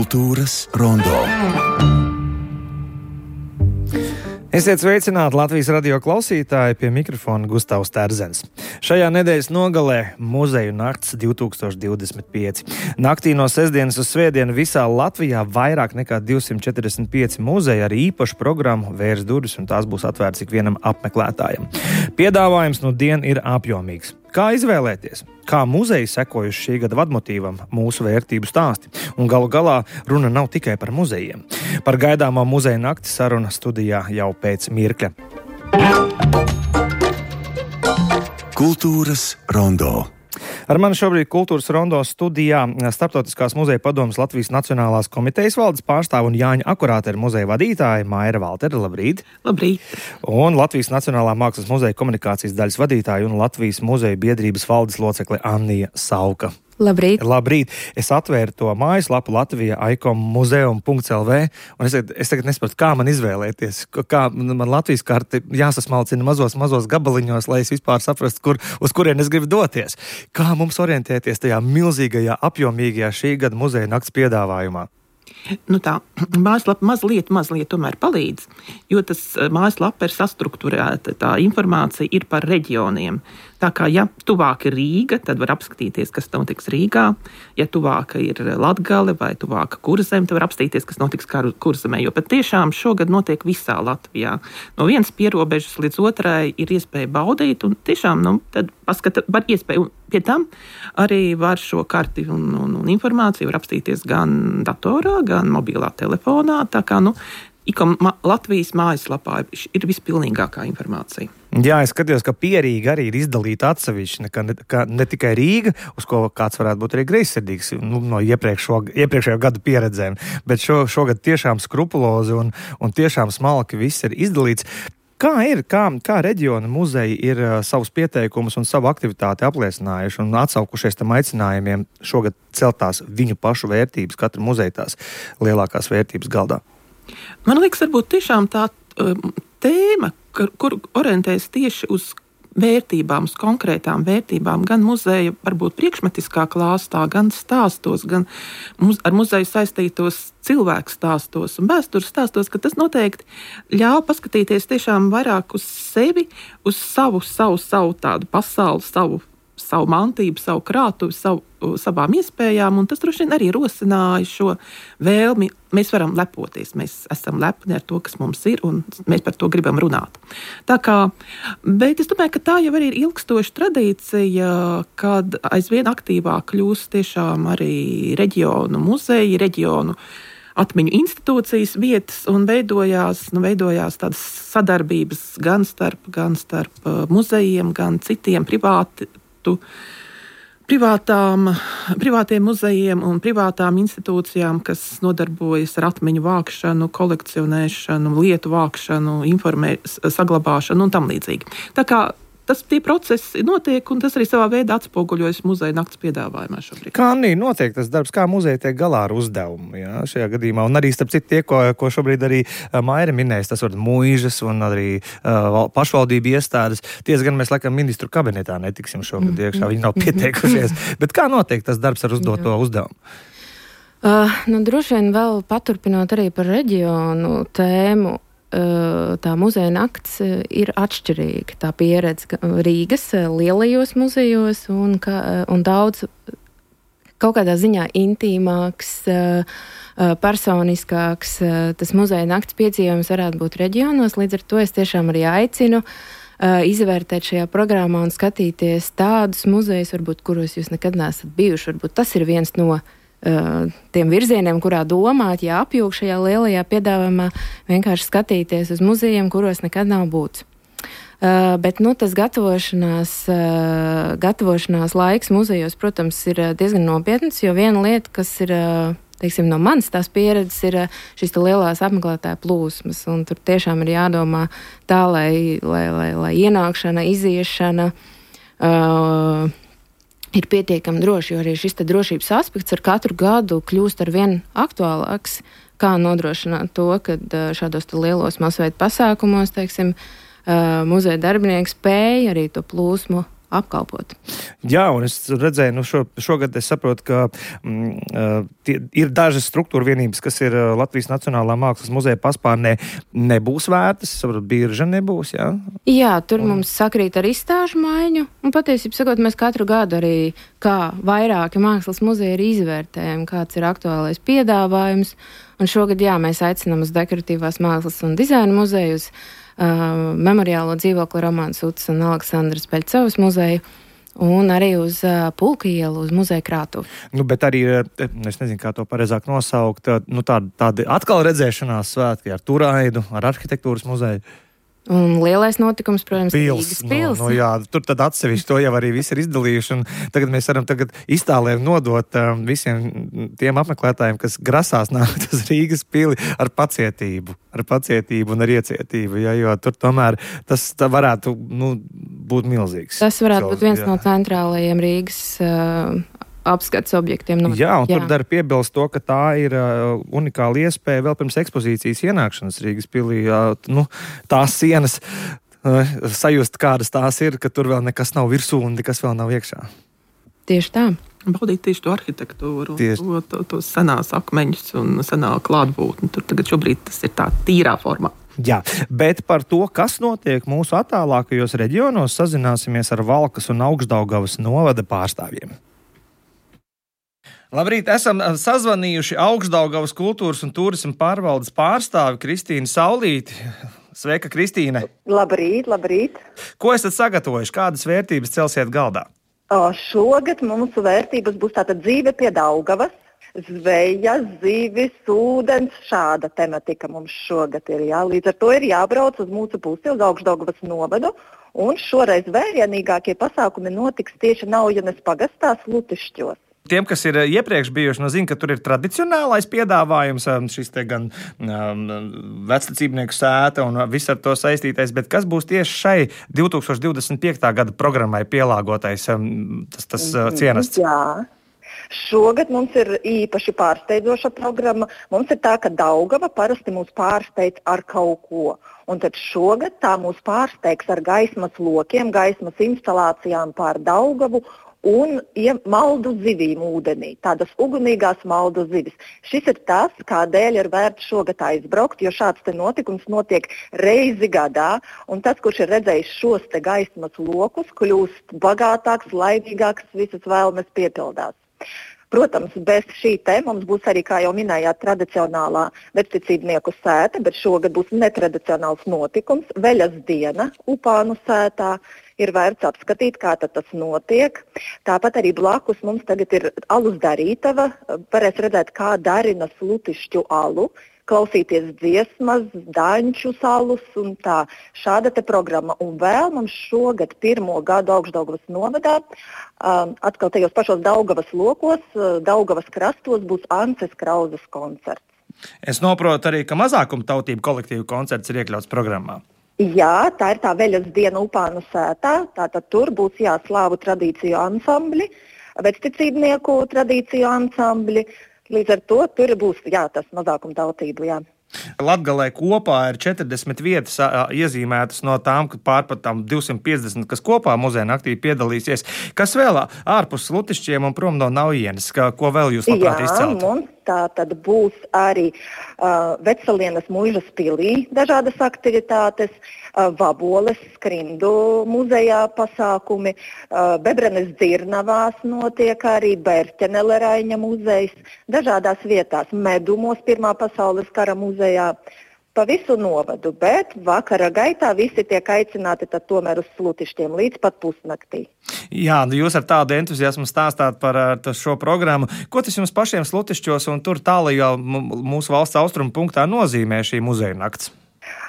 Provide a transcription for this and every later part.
Kultūras rondo. Esiet sveicināti Latvijas radio klausītāji, pie mikrofona Gustavs Terzens. Šajā nedēļas nogalē muzeju nakts 2025. Naktī no sestdienas uz svētdienu visā Latvijā vairāk nekā 245 muzeji ar īpašu programmu vērs durvis, un tās būs atvērts ikvienam apmeklētājam. Piedāvājums nu dien ir apjomīgs. Kā izvēlēties? Kā muzeji sekojuši šī gada vadmotīvam mūsu vērtību stāsti? Un galu galā runa nav tikai par muzejiem. Par gaidāmo muzeja nakti saruna studijā jau pēc mirkļa. Kultūras rondo. Ar mani šobrīd Kultūras rondo studijā Starptautiskās muzeja padomes Latvijas Nacionālās komitejas valdes pārstāve un Jāņa Akurātera muzeja vadītāja Maira Valtere. Labrīt! Labrīt! Un Latvijas Nacionālā mākslas muzeja komunikācijas daļas vadītāja un Latvijas muzeja biedrības valdes locekle Annija Sauka. Labrīt! Labrīt! Es atvēru to mājaslapu Latvija ikommuzeum.lv un es tagad nesaprotu, kā man izvēlēties, kā man Latvijas karte jāsasmalcina mazos gabaliņos, lai es vispār saprastu, uz kurien es gribu doties. Kā mums orientēties tajā milzīgajā, apjomīgajā šī gada muzeja nakts piedāvājumā? Nu tā, mājaslapa mazliet tomēr palīdz, jo tas mājaslapa ir sastrukturēta, tā informācija ir par reģioniem. Tā kā, ja tuvāk ir Rīga, tad var apskatīties, kas notiks Rīgā. Ja tuvāka ir Latgale vai tuvāka Kurzeme, tad var apskatīties, kas notiks Kurzemē. Jo patiešām šogad notiek visā Latvijā. No vienas pierobežas līdz otrai ir iespēja baudīt, un tiešām, tad var iespēju. Pie tam arī var šo karti un informāciju var apskatīties gan datorā, gan mobilā telefonā. Tā kā, Latvijas mājaslapā ir vispilnīgākā informācija. Jā, es skatījos, ka Pierīga arī ir izdalīta atsevišķi, ne tikai Rīga, uz ko kāds varētu būt arī greizsirdīgs no iepriekšējo gadu pieredzēm, bet šogad tiešām skrupulozi un tiešām smalki viss ir izdalīts. Kā ir, kā reģiona muzeji ir savus pieteikumus un savu aktivitāti apliecinājuši un atsaukušies tam aicinājumiem šogad celtās viņu pašu vērtības, katra muzeja tās lielākās vērtības galdā? Man liekas, varbūt tiešām tā tēma, kur orientēs tieši uz vērtībām, uz konkrētām vērtībām, gan muzeja varbūt priekšmetiskā klāstā, gan stāstos, gan ar muzeju saistītos cilvēku stāstos un vēstures stāstos, ka tas noteikti ļauj paskatīties tiešām vairāk uz sevi, uz savu tādu pasauli, savu mantību, savu krātuvi, savām iespējām, un tas droši vien arī rosināja šo vēlmi. Mēs varam lepoties, mēs esam lepni ar to, kas mums ir, un mēs par to gribam runāt. Bet es domāju, ka tā jau arī ir ilgstoša tradīcija, kad aizvien aktīvāk kļūst tiešām arī reģionu muzeji, reģionu atmiņu institūcijas vietas, un veidojās tādas sadarbības gan starp muzejiem, gan citiem privātiem muzejiem un privātām institūcijām, kas nodarbojas ar atmiņu vākšanu, kolekcionēšanu, lietu vākšanu, saglabāšanu un tam līdzīgi. Tā kā tie procesi notiek, un tas arī savā veidā atspoguļojas muzeja nakts piedāvājumā šobrīd. Kā notiek tas darbs, kā muzeja tiek galā ar uzdevumu, šajā gadījumā? Un arī, starp citu, ko šobrīd arī Maira minējas, tas var mūžas un arī pašvaldību iestādes. Gan mēs laikam ministru kabinetā netiksim šogad iekšā, viņi nav pieteikušies. Bet kā notiek tas darbs ar uzdoto uzdevumu? Droši vien vēl paturpinot arī par reģionu tēmu, tā muzeja nakts ir atšķirīga. Tā pieredze Rīgas lielajos muzejos un daudz kaut kādā ziņā intīmāks, personiskāks. Tas muzeja nakts piedzīvojums varētu būt reģionos, līdz ar to es tiešām arī aicinu izvērtēt šajā programmā un skatīties tādus muzejus, varbūt, kuros jūs nekad neesat bijuši. Varbūt tas ir viens no tiem virzieniem, kurā domāt, apjūgt šajā lielajā piedāvājumā, vienkārši skatīties uz muzejiem, kuros nekad nav būts. Bet tas gatavošanās laiks muzejos, protams, ir diezgan nopietns, jo viena lieta, kas ir, no manas tās pieredzes, ir šīs lielās apmeklētāju plūsmas, un tur tiešām ir jādomā tā, lai ienākšana, iziešana ir pietiekami droši, jo arī šis drošības aspekts ar katru gadu kļūst arvien aktuālāks, kā nodrošināt to, ka šādos lielos masveida pasākumos, muzeja darbinieki spēja arī to plūsmu apkalpot. Jā, un es redzēju, šogad es saprotu, ka ir dažas struktūra vienības, kas ir Latvijas Nacionālā mākslas muzeja paspārnē, nebūs vērtas, saprotu, birža nebūs, jā? Jā, tur mums sakrīt ar izstāžu maiņu, un patiesībā sakot, mēs katru gadu arī, kā vairāki mākslas muzeji, ir izvērtējam, kāds ir aktuālais piedāvājums, un šogad, jā, mēs aicinām uz Dekoratīvās mākslas un dizaina muzeju, uz Memoriālo dzīvokli Romanas Utas un Aleksandras Peļcovas muzeju un arī uz Pulka ielu, uz muzeja krātuvi. Bet arī, es nezinu, kā to pareizāk nosaukt, tādi atkal redzēšanās svētki ar Turaidu, ar arhitektūras muzeju. Un lielais notikums, protams, Rīgas pils. Jā, tur tad atsevišķi to jau arī visi ir izdalījuši, un tagad mēs varam iztālēm nodot visiem tiem apmeklētājiem, kas grasās nākt uz Rīgas pili ar pacietību un ar iecietību, ja, jo tur tomēr tas varētu būt milzīgs. Tas varētu būt viens no centrālajiem Rīgas apskats objektiem. Jā, un tur dara piebilst to, ka tā ir unikāla iespēja vēl pirms ekspozīcijas ienākšanas Rīgas pilī. Tās sienas sajust, kādas tās ir, ka tur vēl nekas nav virsū un nekas vēl nav iekšā. Tieši tā. Baudīt tieši to arhitektūru, tos senās akmeņus un senā klātbūtni. Tur tagad šobrīd tas ir tā tīrā formā. Jā, bet par to, kas notiek mūsu attālākajos reģionos, sazināsimies ar Valkas un Augšdaugavas novada pārstāvjiem. Labrīt, esam sazvanījuši Augšdaugavas kultūras un turisma pārvaldes pārstāvi Kristīnu Saulīti. Sveika, Kristīne! Labrīt, labrīt! Ko esat sagatavojuši? Kādas vērtības celsiet galdā? Šogad mūsu vērtības būs tātad dzīve pie Daugavas, zveja, zivis, ūdens, šāda tematika mums šogad ir. Jā. Līdz ar to ir jābrauc uz mūsu pusi, uz Augšdaugavas novadu, un šoreiz vērienīgākie pasākumi notiks tieši Naujenes pagastā Slutišķos. Tiem, kas ir iepriekš bijuši, zina, ka tur ir tradicionālais piedāvājums, šis te gan vectecībnieku sēta un viss ar to saistītais, bet kas būs tieši šai 2025. gada programmai pielāgotais tas cienasts? Jā. Šogad mums ir īpaši pārsteidzoša programma. Mums ir tā, ka Daugava parasti mūs pārsteidz ar kaut ko. Un tad šogad tā mūs pārsteigs ar gaismas lokiem, gaismas instalācijām pār Daugavu un maldu zivīm ūdenī, tādas ugunīgās maldu zivis. Šis ir tas, kādēļ ir vērts šogad aizbraukt, jo šāds te notikums notiek reizi gadā, un tas, kurš ir redzējis šos te gaismas lokus, kļūst bagātāks, laimīgāks, visas vēlmes piepildās. Protams, bez šī te mums būs arī, kā jau minējāt, tradicionālā vecticībnieku sēta, bet šogad būs netradicionāls notikums, veļas diena Upānu sētā. Ir vērts apskatīt, kā tas notiek. Tāpat arī blakus mums tagad ir alus darītava. Varēs redzēt, kā darina Slutišķu alu, klausīties dziesmas, daņču salus un tā. Šāda te programma. Un vēl mums šogad 1. gadu Augšdaugavas novadā, atkal tajos pašos Daugavas lokos, Daugavas krastos būs Ances Krauzes koncerts. Es noprotu arī, ka mazākuma tautību kolektīvu koncerts ir iekļauts programmā. Jā, tā ir tā veļas diena Upānu sētā. Tātad tur būs slāvu tradīciju ansambļi, vecticībnieku tradīciju ansambļi. Līdz ar to tur būs tas mazākuma tautību. Jā. Latgalē kopā ir 40 vietas iezīmētas no tām, pār pat 250, kas kopā muzeja naktī piedalīsies. Kas vēl ārpus Slutišķiem un prom no Naujienes? Ko vēl jūs labprāt izceltu? Mums tā tad būs arī Vecelienas muižas pilī dažādas aktivitātes, Vaboles skrindu muzejā pasākumi, Bebrenes dzirnavās notiek arī Bērķeneleraņa muzejs, dažādās vietās, Medumos Pirmā pasaules kara muzejā, pa visu novadu, bet vakara gaitā visi tiek aicināti tad tomēr uz Slutišķiem līdz pat pusnaktī. Jā, jūs ar tādu entuziasmu stāstāt par šo programmu. Ko tas jums pašiem Slutišķos un tur tālajā mūsu valsts austrumu punktā nozīmē šī muzeja nakts?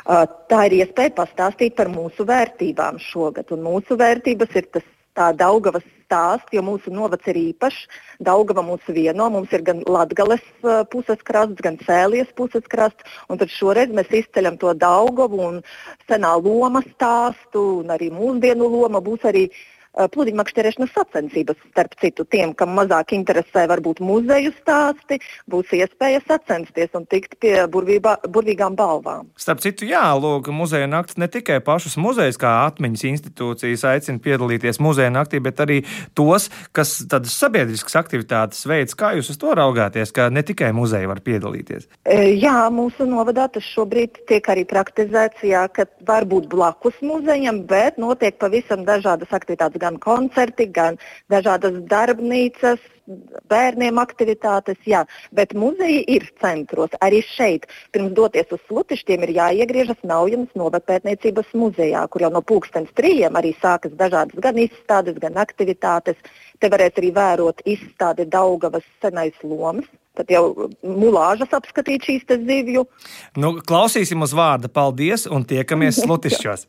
Tā ir iespēja pastāstīt par mūsu vērtībām šogad, un mūsu vērtības ir tā Daugavas stāsts, jo mūsu novads ir īpašs. Daugava mūs vieno, mums ir gan Latgales puses krasts, gan Sēlijas puses krasts, un tad šoreiz mēs izceļam to Daugavu un senā loma stāstu, un arī mūsdienu loma būs arī pludināšanas sacensības, starp citu, tiem, kam mazāk interesē varbūt muzeju stāsti, būs iespēja sacensties un tikt pie burvīgām balvām. Starp citu, jā, lūk, muzeja nakts ne tikai pašus muzejus kā atmiņas institūcijas aicina piedalīties muzeja naktī, bet arī tos, kas tādas sabiedriskas aktivitātes veids. Kā jūs uz to raugāties, ka ne tikai muzeji var piedalīties? Jā, mūsu novadā tas šobrīd tiek arī praktizēts, jā, ka var būt blakus muzejam, bet notiek pavisam dažādas aktivitātes, gan koncerti, gan dažādas darbnīcas, bērniem aktivitātes, jā, bet muzeji ir centros. Arī šeit, pirms doties uz Slutišķiem, ir jāiegriežas Naujenas novadpētniecības muzejā, kur jau no 3:00 arī sākas dažādas gan izstādes, gan aktivitātes. Te varēs arī vērot izstādi Daugavas senais lomas. Tad jau mulāžas apskatīt šīs te zivju. Nu, klausīsim uz vārda. Paldies un tiekamies Slutišķos.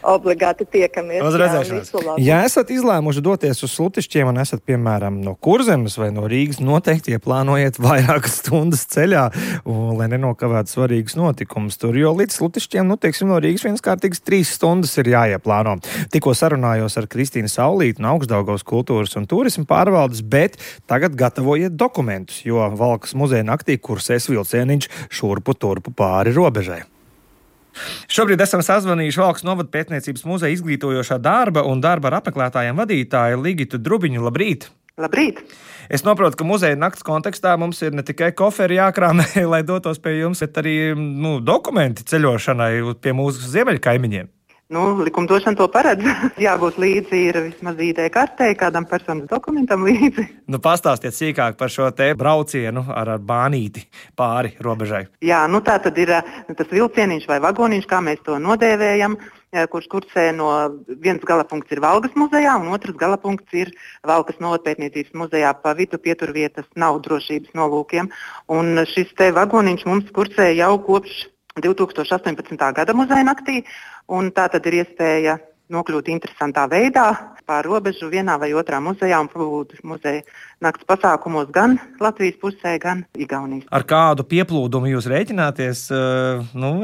Obligāti tiekamies. Uz redzēšanos. Ja esat izlēmuši doties uz Slutišķiem un esat, piemēram, no Kurzemes vai no Rīgas, noteikti ieplānojiet vairākas stundas ceļā, lai nenokavētu svarīgus notikumus tur, jo līdz Slutišķiem, teiksim, no Rīgas vienkārtīgas 3 stundas ir jāieplāno. Tikko sarunājos ar Kristīnu Saulīti no Augstdaugavas kultūras un turisma pārvaldes, bet tagad gatavojiet dokumentus, jo Valkas muzeja naktī kursēs vilcieniņš šurpu turpu pāri robežai. Šobrīd esam sazvanījuši Valkas novadpētniecības muzeja izglītojošā darba un darba ar apmeklētājiem vadītāju Ligitu Drubiņu. Labrīt! Labrīt! Es saprotu, ka muzeja nakts kontekstā mums ir ne tikai koferi jākrāmē, lai dotos pie jums, bet arī dokumenti ceļošanai pie mūsu ziemeļkaimiņiem. Likumdošana to paredz. Jābūt līdzi ir vismaz ID kartei, kādam personas dokumentam līdzi. Pastāstiet sīkāk par šo te braucienu ar bānīti pāri robežai. Jā, tā tad ir tas vilcieniņš vai vagoniņš, kā mēs to nodēvējam, kurš kursē no viens galapunkts ir Valgas muzejā un otrs galapunkts ir Valkas novadpētniecības muzejā. Pa vidu pieturvietas nav drošības nolūkiem. Un šis te vagoniņš mums kursē jau kopš 2018. gada muzeja naktī, un tā tad ir iespēja nokļūt interesantā veidā pār robežu vienā vai otrā muzejā un būt muzeja nakts pasākumos gan Latvijas pusē, gan Igaunijas. Ar kādu pieplūdumu jūs rēķināties?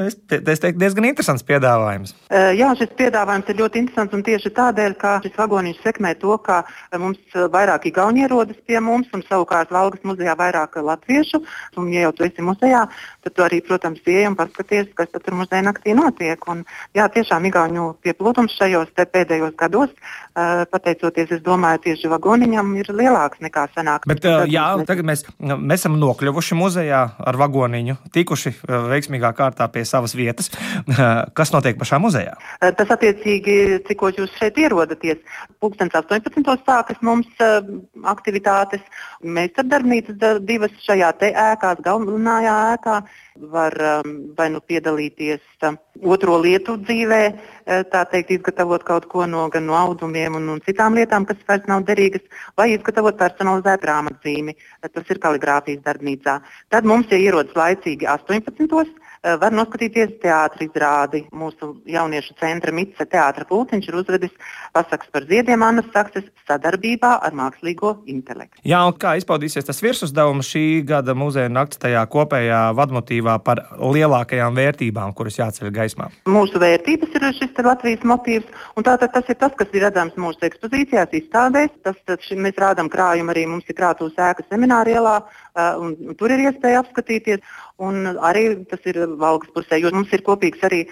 Es teiktu, diezgan interesants piedāvājums. Jā, šis piedāvājums ir ļoti interesants un tieši tādēļ, ka šis vagoniņš sekmē to, ka mums vairāk igauņi ierodas pie mums un savukārt Valgas muzejā vairāk latviešu. Un, ja jau tu esi muzejā, tad tu arī, protams, ieej un paskaties, kas tur muzeja naktī notiek. Un, jā, tiešām igauņu pieplūdums šajos pēdējos gados, pateicoties, es domāju, tieši vagoniņam ir lielāks nekā senāk. Bet, tagad mēs esam nokļuvuši muzejā ar vagoniņu, tikuši veiksmīgā kārtā pie savas vietas. Kas notiek pašā muzejā? Tas attiecīgi, cikos jūs šeit ierodaties. 18. sākas mums aktivitātes. Mēs ar darbnīcas 2 šajā te ēkās, galvenajā ēkā, var vai piedalīties otro lietu dzīvē, tā teikt, izgatavot kaut ko gan no audumiem un citām lietām, kas vairs nav derīgas, vai izgatavot personalizētu grāmatzīmi. Tas ir kaligrāfijas darbnīcā. Tad mums, ja ierodas laicīgi 18. var noskatīties teātra izrādi. Mūsu jauniešu centra Mice teātra pulciņš ir uzvedis pasakas par ziediem Annas Sakses sadarbībā ar mākslīgo intelektu. Jā, un kā izpaudīsies tas virsuzdevums šī gada muzeja nakts tajā kopējā vadmotīvā par lielākajām vērtībām, kuras jāceļ gaismā? Mūsu vērtības ir šis Latvijas motīvs, un tātad tas ir tas, kas ir redzams mūsu ekspozīcijās, izstādēs. Mēs rādām krājumu arī, mums ir krātuves ēka Semināra ielā, un tur ir iespēja apskatīties. Un arī tas ir Valgas pusē, jo mums ir kopīgs arī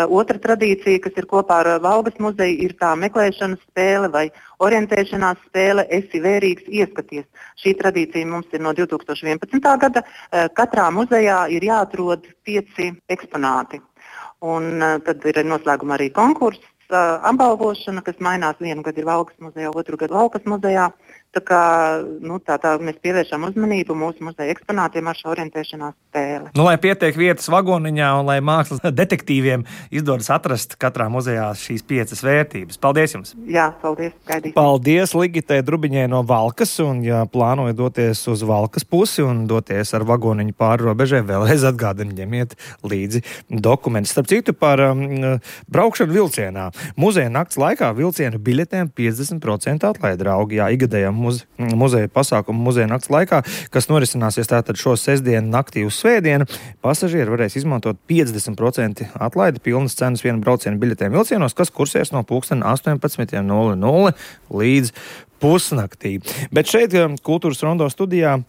otra tradīcija, kas ir kopā ar Valgas muzeju, ir tā meklēšanas spēle vai orientēšanās spēle Esi vērīgs, ieskaties. Šī tradīcija mums ir no 2011. gada. Katrā muzejā ir jāatrod 5 eksponāti. Un tad ir noslēgumā arī konkurss, apbalvošana, kas mainās. Vienu gadu ir Valgas muzejā, otru gadu Valkas muzejā. Tā kā tā mēs pievēršam uzmanību mūsu muzeja eksponātiem ar šo orientēšanās spēli. Lai pietiek vietas vagoniņā un lai mākslas detektīviem izdodas atrast katrā muzejā šīs 5 vērtības. Paldies jums! Jā, paldies! Gaidīsim! Paldies Ligitei Drubiņai no Valkas, un ja plānojat doties uz Valkas pusi un doties ar vagoniņu pāri robežai, vēlreiz atgādini, ņemiet līdzi dokumentus. Starp citu par braukšanu vilcienā. Muzeja nakts laikā vilcienu biļetēm 50% atlaide, draugi. Jā, igadējām muzeja pasākumu muzeja nakts laikā, kas norisināsies tātad šo sestdienu naktī uz svētdienu. Pasažieri varēs izmantot 50% atlaidi pilnas cenas vienu braucienu biļetēm vilcienos, kas kursēs no pulksten 18:00 līdz pusnaktī. Bet šeit Kultūras Rondo studijā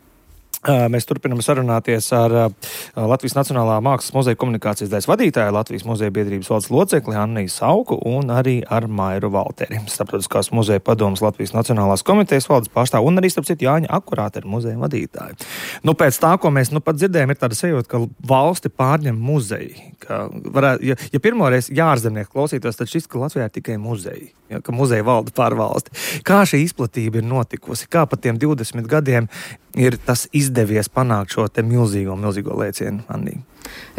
mēs turpinām sarunāties ar Latvijas Nacionālā mākslas muzeja komunikācijas daļas vadītāju, Latvijas muzeja biedrības valdes locekli Anniju Sauku un arī ar Mairu Valteri, Starptautiskās muzeja padomes Latvijas Nacionālās komitejas valdes pārstāvu un arī, starp citu, Jāņa Akurāte ar muzeja vadītāju. Nu, pēc tā, ko mēs pat dzirdējām, ir tāda sajūta, ka valsti pārņem muzeji. Ja pirmoreiz jārzemnieki klausītos, tad šis, ka Latvijā ir tikai muzeji, ka muzeja valda pār valsti. Kā šī izplatība ir notikusi? Kā pat tiem 20 gadiem ir tas izdevies panākt šo te milzīgo lēcienu, Annī?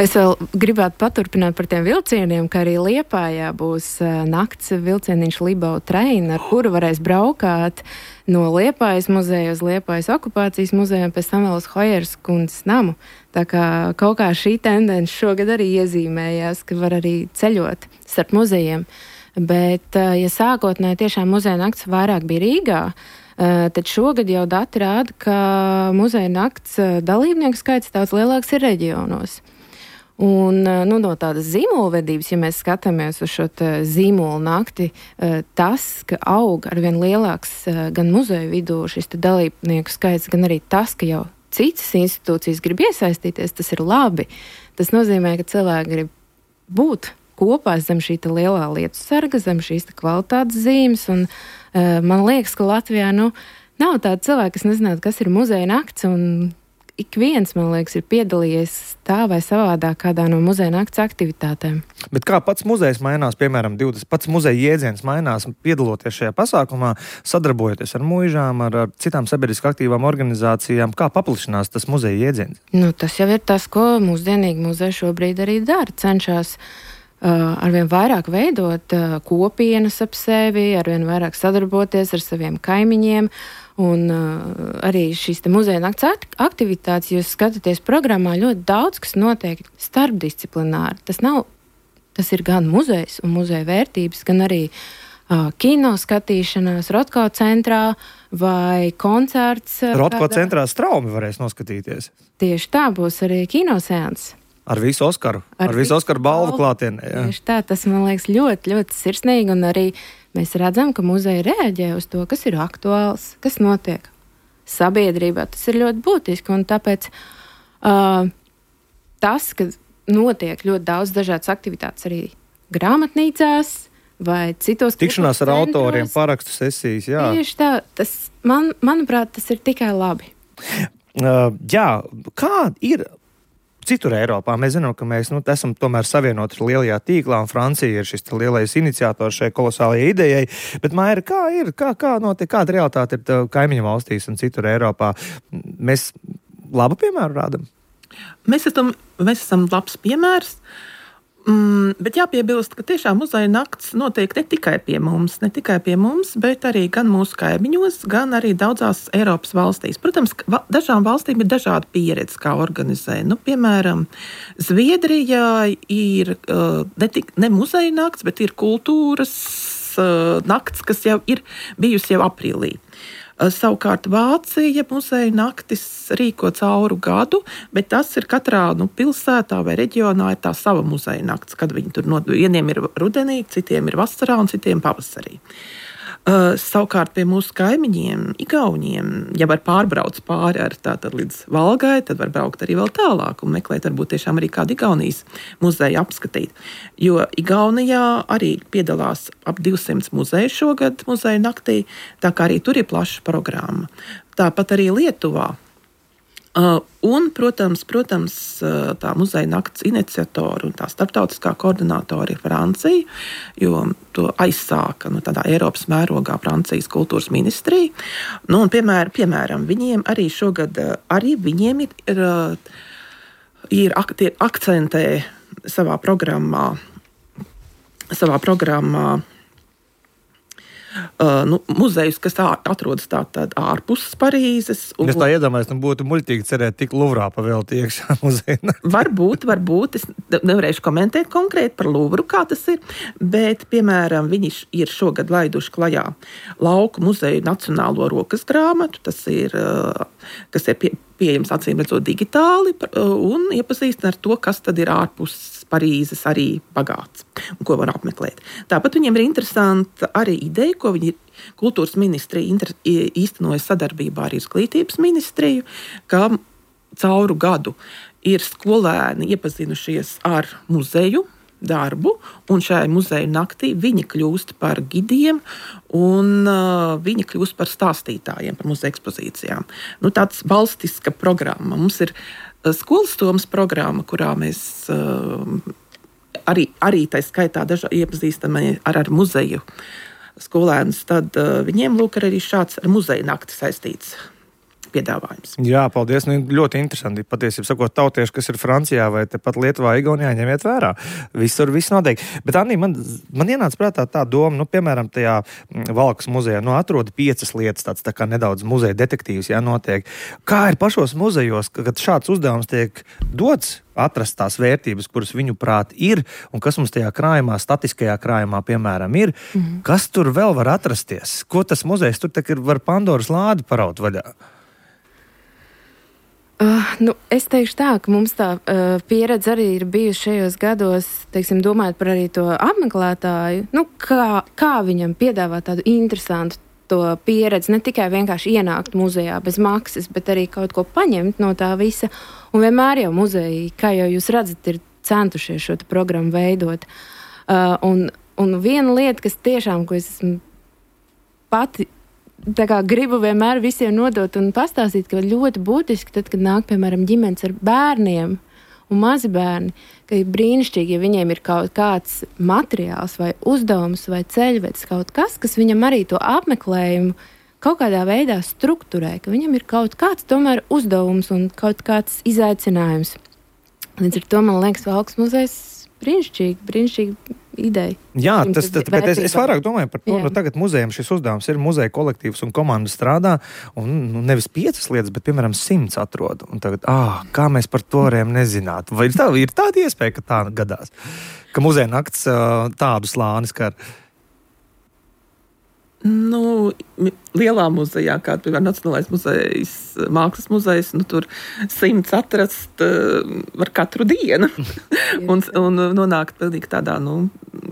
Es vēl gribētu paturpināt par tiem vilcieniem, ka arī Liepājā būs nakts vilcieniņš Libau Train, ar kuru varēs braukāt no Liepājas muzeja uz Liepājas okupācijas muzeju un pēc tam vēl uz Hojeras kundzes namu. Tā kā kaut kā šī tendence šogad arī iezīmējās, ka var arī ceļot starp muzejiem. Bet, ja sākotnēji tiešām muzeja nakts vairāk bija Rīgā, tad šogad jau dati rāda, ka muzeja nakts dalībnieku skaits daudz lielāks ir reģionos. Un no tādas zīmolvedības, ja mēs skatāmies uz šo zīmolu nakti, tas, ka aug arvien lielāks gan muzeju vidū šis dalībnieku skaits, gan arī tas, ka jau citas institūcijas grib iesaistīties, tas ir labi. Tas nozīmē, ka cilvēki grib būt kopā zem šī lielā lietu sarga, zem šīs kvalitātes zīmes, un man liekas, ka Latvijā nav tāda cilvēka, kas nezinātu, kas ir muzeja nakts, un ik viens, man liekas, ir piedalījies tā vai savādāk kādā no muzeja nakts aktivitātēm. Bet kā pats muzejs mainās, piemēram, pats muzeja jēdziens mainās, piedaloties šajā pasākumā, sadarbojoties ar muižām, ar citām sabiedriski aktīvām organizācijām, kā paplašinās tas muzeja jēdziens? Tas jau ir tas, ko mūsdienīgi muzeja šobrīd arī dara, cenšas arvien vairāk veidot kopienas ap sevi, arvien vairāk sadarboties ar saviem kaimiņiem, un arī šīs muzeja nakts aktivitātes, jūs skatāties programmā, ļoti daudz, kas notiek starpdisciplināri. Tas ir gan muzejs un muzeja vērtības, gan arī kino skatīšanās Rotko centrā vai koncerts. Rotko centrā straumi varēs noskatīties. Tieši tā, būs arī kinoseans. Ar visu Oskaru balvu klātienē. Tieši tā, tas man liekas ļoti, ļoti sirsnīgi, un arī mēs redzam, ka muzeja reaģē uz to, kas ir aktuāls, kas notiek sabiedrībā. Tas ir ļoti būtiski, un tāpēc tas, ka notiek ļoti daudz dažādas aktivitātes arī grāmatnīcās vai citos tikšanās ar autoriem, parakstu sesijas, jā. Tieši tā, manuprāt, tas ir tikai labi. Jā, kā ir citur Eiropā? Mēs zinām, ka mēs esam tomēr savienoti lielajā tīklā, un Francija ir šis lielais iniciators šai kolosālajai idejai. Bet, Maira, kā notiek, kāda realitāte ir kaimiņu valstīs un citur Eiropā? Mēs labu piemēru rādam? Mēs esam labs piemērs. Bet jāpiebilst, ka tiešām muzeja nakts notiek ne tikai pie mums, bet arī gan mūsu kaimiņos, gan arī daudzās Eiropas valstīs. Protams, dažām valstīm ir dažāda pieredze, kā organizē. Piemēram, Zviedrijā ir ne muzeja nakts, bet ir kultūras nakts, kas jau ir bijusi jau aprīlī. Savukārt Vācija muzeja naktis rīko cauru gadu, bet tas ir katrā pilsētā vai reģionā ir tā sava muzeja naktis, kad viņi tur vieniem ir rudenī, citiem ir vasarā un citiem pavasarī. Savukārt pie mūsu kaimiņiem, Igauniem, ja var pārbrauc pāri līdz Valgai, tad var braukt arī vēl tālāk un meklēt varbūt tiešām arī kādu Igaunijas muzeju apskatīt. Jo Igaunijā arī piedalās ap 200 muzeju šogad muzeja naktī, tā kā arī tur ir plaša programma. Tāpat arī Lietuvā. Un, protams, tā muzeja nakts iniciatora un tā starptautiskā koordinātora ir Francija, jo to aizsāka tādā Eiropas mērogā Francijas kultūras ministrija. Un, piemēram, viņiem arī šogad ir akcentē savā programmā muzejus, kas atrodas tātad ārpus Parīzes. Es tā iedomājos, būtu muļķīgi cerēt tik Luvrā pavēlt iekšā muzeja. Varbūt. Es nevarēšu komentēt konkrēti par Luvru, kā tas ir, bet, piemēram, viņi ir šogad laiduši klajā Lauku muzeju nacionālo rokas grāmatu, tas ir, kas ir pieejams acīm redzot digitāli un iepazīstina ar to, kas tad ir ārpus Parīzes arī bagāts un ko var apmeklēt. Tāpat viņiem ir interesanta arī ideja, ko viņi kultūras ministrija īstenoja sadarbībā ar Izglītības ministriju, ka cauru gadu ir skolēni iepazinušies ar muzeju darbu, un šajā muzeja naktī viņi kļūst par gidiem un viņi kļūst par stāstītājiem par muzeja ekspozīcijām. Tāds balstiska programma. Mums ir skolas domas programma, kurā mēs arī tā skaitā iepazīstam ar muzeju skolēnus, tad viņiem lūk arī šāds ar muzeja nakti saistīts piedāvājums. Jā, paldies. Ļoti interesanti. Patiesībā sakot, tautieši, kas ir Francijā vai tepat Lietuvā, Igaunijā, ņemiet vērā. Visur viss notiek. Bet, Anī, man ienāca prātā tā doma, piemēram, tajā Valkas muzejā, atrod 5 lietas, tāds tā kā nedaudz muzeja detektīvs, notiek. Kā ir pašos muzejos, kad šāds uzdevums tiek dots, atrast tās vērtības, kuras viņu prāt ir, un kas mums tajā krājumā, statiskajā krājumā, piemēram, ir, kas tur vēl var atrasties? Ko tas muzejs tur var Pandoras lādi paraut vaļā? Es teikšu tā, ka mums tā pieredze arī ir bijusi šajos gados, teiksim, domājot par arī to apmeklētāju, kā viņam piedāvāt tādu interesantu to pieredzi, ne tikai vienkārši ienākt muzejā bez maksas, bet arī kaut ko paņemt no tā visa. Un vienmēr jau muzeji, kā jau jūs redzat, ir centušies šo programmu veidot. Un viena lieta, kas tiešām, ko es esmu pati gribu vienmēr visiem nodot un pastāstīt, ka ļoti būtiski, tad, kad nāk, piemēram, ģimenes ar bērniem un mazi bērni, ka ir brīnišķīgi, ja viņiem ir kaut kāds materiāls vai uzdevums vai ceļvedis, kaut kas viņam arī to apmeklējumu kaut kādā veidā strukturē, ka viņam ir kaut kāds tomēr uzdevums un kaut kāds izaicinājums. Līdz ar to, man liekas, Valkas muzejs brīnišķīga ideja. Jā, bet es vairāk domāju par to, tagad muzejam šis uzdevums ir muzeja kolektīvs un komanda strādā, un nevis 5 lietas, bet, piemēram, 100 atrod. Un tagad, kā mēs par to varējām nezināt? Vai ir tāda iespēja, ka tā gadās? Ka muzeja nakts tādu slāni skar? Lielā muzejā, kā piemēram Nacionālais muzejs, Mākslas muzejs, tur 100 atrast var katru dienu un nonākt pilnīgi tādā,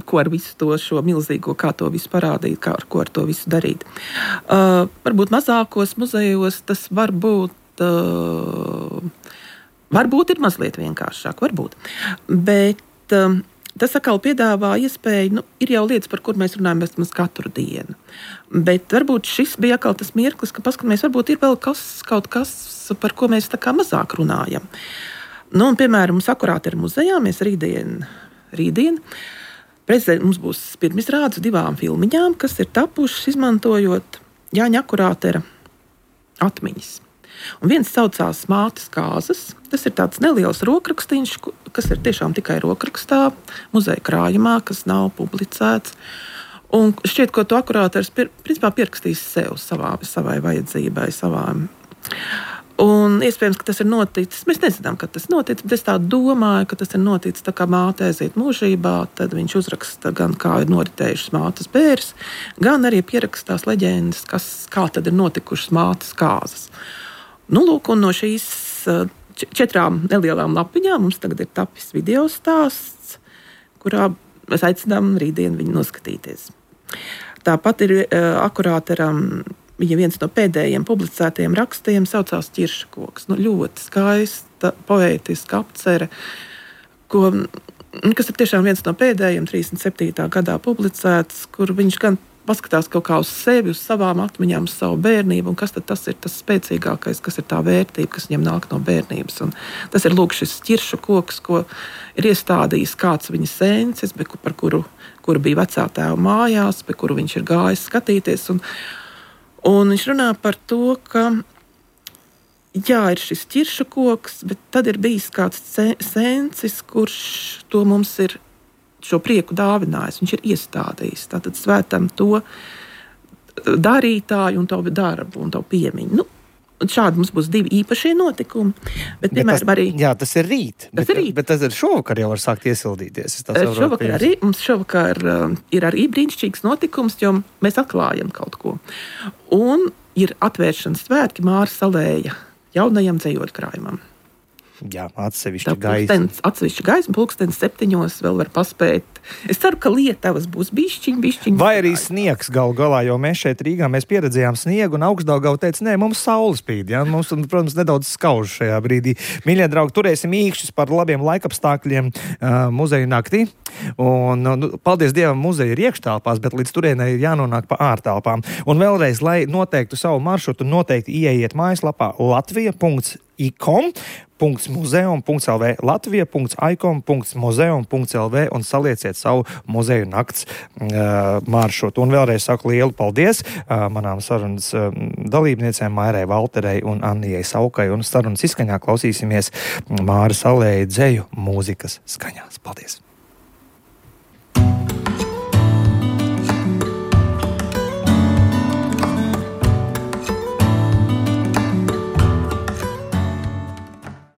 ko ar visu to šo milzīgo, kā to visu parādīt, ko ar to visu darīt. Varbūt mazākos muzejos tas varbūt ir mazliet vienkāršāk, varbūt, bet tas atkal piedāvā iespēju, ir jau lietas, par kur mēs runājam mēs katru dienu. Bet varbūt šis bija atkal tas mirklis, ka paskatāmies, varbūt ir vēl kaut kas, par ko mēs tā kā mazāk runājam. Un, piemēram, mums akurāt ir muzejā, mēs rītdien mums būs pirmizrādes 2 filmiņām, kas ir tapušas izmantojot Jāņa Akurātera atmiņas. Un viens saucās Mātes kāzas. Tas ir tāds neliels rokrakstīns, kas ir tiešām tikai rokrakstā, muzeja krājumā, kas nav publicēts. Un šķiet, ko to akurātors principā pierakstīs sev, savai vajadzībai, savām. Un iespējams, ka tas ir noticis. Mēs nezinām, kad tas noticis, bet es tā domāju, ka tas ir noticis tā kā māte aiziet mūžībā, tad viņš uzraksta gan kā ir noritējušas mātes bērs, gan arī pierakstās leģendas, kā tad ir notikušas mātes kāzas. Lūk, un no šīs 4 nelielām lapiņām mums tagad ir tapis video stāsts, kurā mēs aicinām rītdien viņu noskatīties. Tāpat ir akurāteram viņa viens no pēdējiem publicētajiem rakstiem saucās Ķirša koks. Ļoti skaista, poētiska apcere, kas ir tiešām viens no pēdējiem 37. gadā publicēts, kur viņš gan paskatās kaut kā uz sevi, uz savām atmiņām, uz savu bērnību, un kas tad tas ir tas spēcīgākais, kas ir tā vērtība, kas viņam nāk no bērnības. Un tas ir lūk šis ķiršu koks, ko ir iestādījis kāds viņa sencis, par kuru bija vecā tēva mājās, pie kuru viņš ir gājis skatīties. Un viņš runā par to, ka ir šis ķiršu koks, bet tad ir bijis kāds sencis, kurš to mums ir šo prieku dāvinājis, viņš ir iestādījis. Tātad svētam to darītāju un tavu darbu un tavu piemiņu. Šādi mums būs 2 īpašie notikumi. Bet piemēram, tas ir rīt. Bet tas ir šovakar jau var sākt iesildīties. Šovakar ir arī brīnišķīgs notikums, jo mēs atklājam kaut ko. Un ir atvēršanas svētki Māras Salēja jaunajam dzejoļu krājumam. Jā, atsevišķi gaisma. Atsevišķi gaisma, 7:00 vēl var paspēt. Es ceru, ka Lietavas būs bišķiņ. Vai arī sniegs galā, jo mēs šeit Rīgā pieredzējām sniegu un Augstdaugava teica, nē, mums saule spīd. Ja? Mums, protams, nedaudz skauž šajā brīdī. Mīļie draugi, turēsim īkšķus par labiem laikapstākļiem muzeju naktī. Un, paldies Dievam, muzeja ir iekštelpās, bet līdz turienei ir jānonāk pa ārtelpām. Un vēlreiz, lai noteiktu savu maršrutu, noteikti ieiet mājaslapā latvija.icom.muzeum.lv latvija.icom.muzeum.lv un salieciet savu muzeju nakts maršrutu. Un vēlreiz saku lielu paldies manām sarunas dalībniecēm Mairai Valterei un Annijai Saukai. Un sarunas izskaņā klausīsimies Māras Salēja dzeju mūzikas skaņās. Paldies!